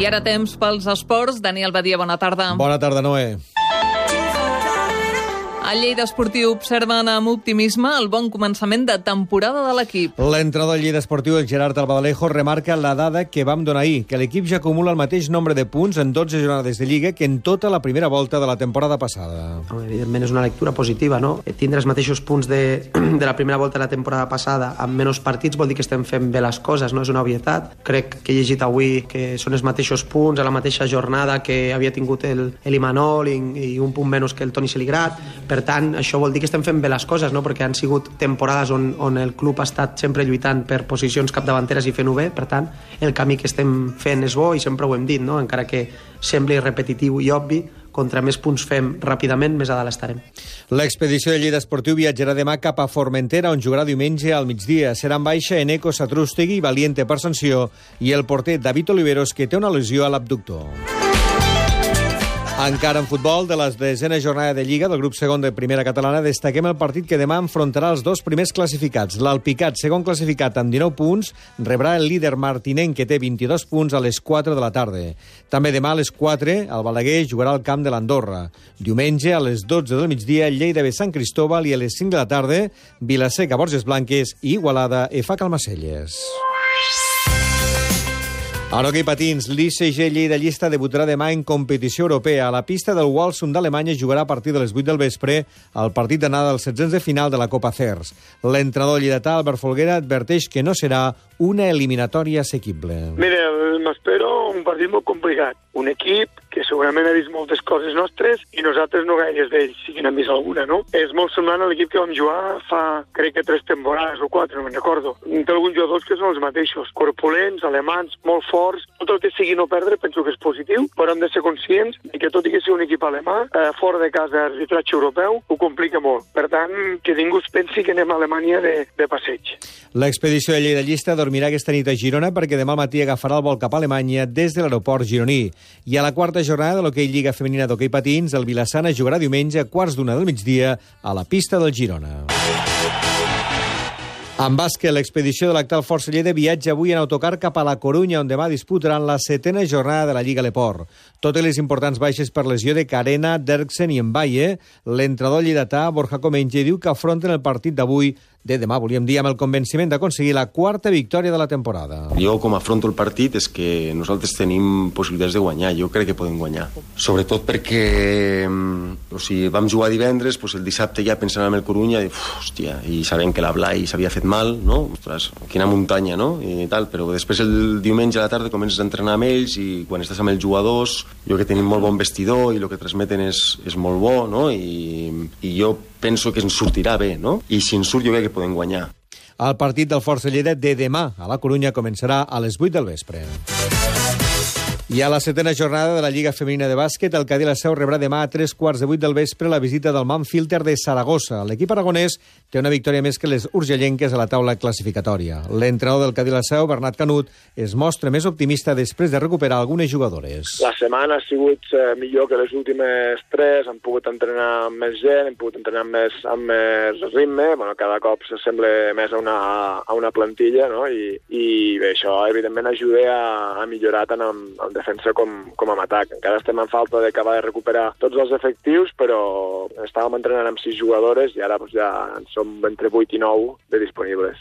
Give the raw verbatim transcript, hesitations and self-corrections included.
I ara temps pels esports. Daniel Badia, bona tarda. Bona tarda, Noé. El Lleida Esportiu observen amb optimisme el bon començament de temporada de l'equip. L'entrenador del Lleida Esportiu, el Gerard Albadalejo, remarca la dada que vam donar ahir, que l'equip ja acumula el mateix nombre de punts en dotze jornades de Lliga que en tota la primera volta de la temporada passada. Evidentment és una lectura positiva, no? Tindre els mateixos punts de, de la primera volta de la temporada passada amb menys partits vol dir que estem fent bé les coses, no? És una obvietat. Crec que he llegit avui que són els mateixos punts a la mateixa jornada que havia tingut el, el Imanol i, i un punt menys que el Toni Seligrat. Per tant, això vol dir que estem fent bé les coses, no? Perquè han sigut temporades on, on el club ha estat sempre lluitant per posicions capdavanteres i fent-ho bé. Per tant, el camí que estem fent és bo i sempre ho hem dit, no? Encara que sembli repetitiu i obvi, contra més punts fem ràpidament, més a dalt estarem. L'expedició de Lleida Esportiu viatjarà demà cap a Formentera, on jugarà diumenge al migdia. Serà en baixa Eneco Satrústegui, Valiente per sanció, i el porter David Oliveros, que té una lesió a l'abductor. Encara en futbol, de les desena jornada de Lliga del grup segon de Primera Catalana, destaquem el partit que demà enfrontarà els dos primers classificats. L'Alpicat, segon classificat amb dinou punts, rebrà el líder martinenc, que té vint-i-dos punts, a les quatre de la tarda. També demà a les quatre, el Balaguer jugarà al camp de l'Andorra. Diumenge, a les dotze del migdia, Lleida ve Sant Cristóbal, i a les cinc de la tarda, Vilaseca Borges Blanques i Igualada E F A Calmacelles. En hoquei patins, l'I C G Lleida Llista debutarà demà en competició europea. A la pista del Walsum d'Alemanya jugarà a partir de les vuit del vespre el partit d'anada dels setzents de final de la Copa Cers. L'entrenador lleidatà, Albert Folguera, adverteix que no serà una eliminatòria assequible. Mira, m'espero un partit molt complicat. Un equip que segurament ha vist moltes coses nostres i nosaltres no gaires d'ells, si n'han vist alguna, no? És molt semblant a l'equip que vam jugar fa, crec que tres temporades o quatre, no me'n recordo. Té alguns jugadors que són els mateixos, corpulents, alemans, molt forts. Tot el que sigui no perdre penso que és positiu, però hem de ser conscients que tot i que sigui un equip alemà, eh, fora de casa arbitratge europeu, ho complica molt. Per tant, que ningú es pensi que anem a Alemanya de, de passeig. L'expedició de Lleida Llista dormirà aquesta nit a Girona perquè demà al matí agafarà el vol cap a Alemanya des de l'aeroport gironí. I a la quarta jornada de l'hoquei Lliga Femenina d'Hoquei Patins, el Vilassana jugarà diumenge a quarts d'una del migdia a la pista del Girona. En bàsquet, l'expedició de l'actual Força Lleida viatja avui en autocar cap a la Corunya, on demà disputaran la setena jornada de la Lliga Leport. Totes les importants baixes per lesió de Carena, Derksen i Mbaye, l'entrenador lleidatà, Borja Comenge, diu que afronten el partit d'avui, de demà, volíem dir, amb el convenciment d'aconseguir la quarta victòria de la temporada. Jo, com afronto el partit, és que nosaltres tenim possibilitats de guanyar. Jo crec que podem guanyar. Sobretot perquè o sigui, vam jugar divendres, doncs el dissabte ja pensant en el Corunya, i, uf, hòstia, i sabem que la Blai s'havia fet mal, no? Ostres, quina muntanya, no? I tal, però després el diumenge a la tarda comences a entrenar amb ells i quan estàs amb els jugadors, jo que tenim molt bon vestidor i el que transmeten és, és molt bo, no? I, i jo penso que ens sortirà bé, no? I si ens surt jo crec que podem guanyar. El partit del Força Lleida de demà a la Corunya començarà a les vuit del vespre. I a la setena jornada de la Lliga Femenina de Bàsquet, el Cadí La Seu rebrà demà a tres quarts de vuit del vespre la visita del Manfilter de Saragossa. L'equip aragonès té una victòria més que les urgellenques a la taula classificatòria. L'entrenador del Cadí La Seu, Bernat Canut, es mostra més optimista després de recuperar algunes jugadores. La setmana ha sigut eh, millor que les últimes tres, hem pogut entrenar amb més gent, hem pogut entrenar amb més, amb més ritme, bueno, cada cop s'assembla més a una, a una plantilla, no? I, i bé, això evidentment ajuda a, a millorar tant amb, amb defensa com, com amb atac. Encara estem en falta d'acabar de recuperar tots els efectius, però estàvem entrenant amb sis jugadores i ara doncs, ja en som entre vuit i nou de disponibles.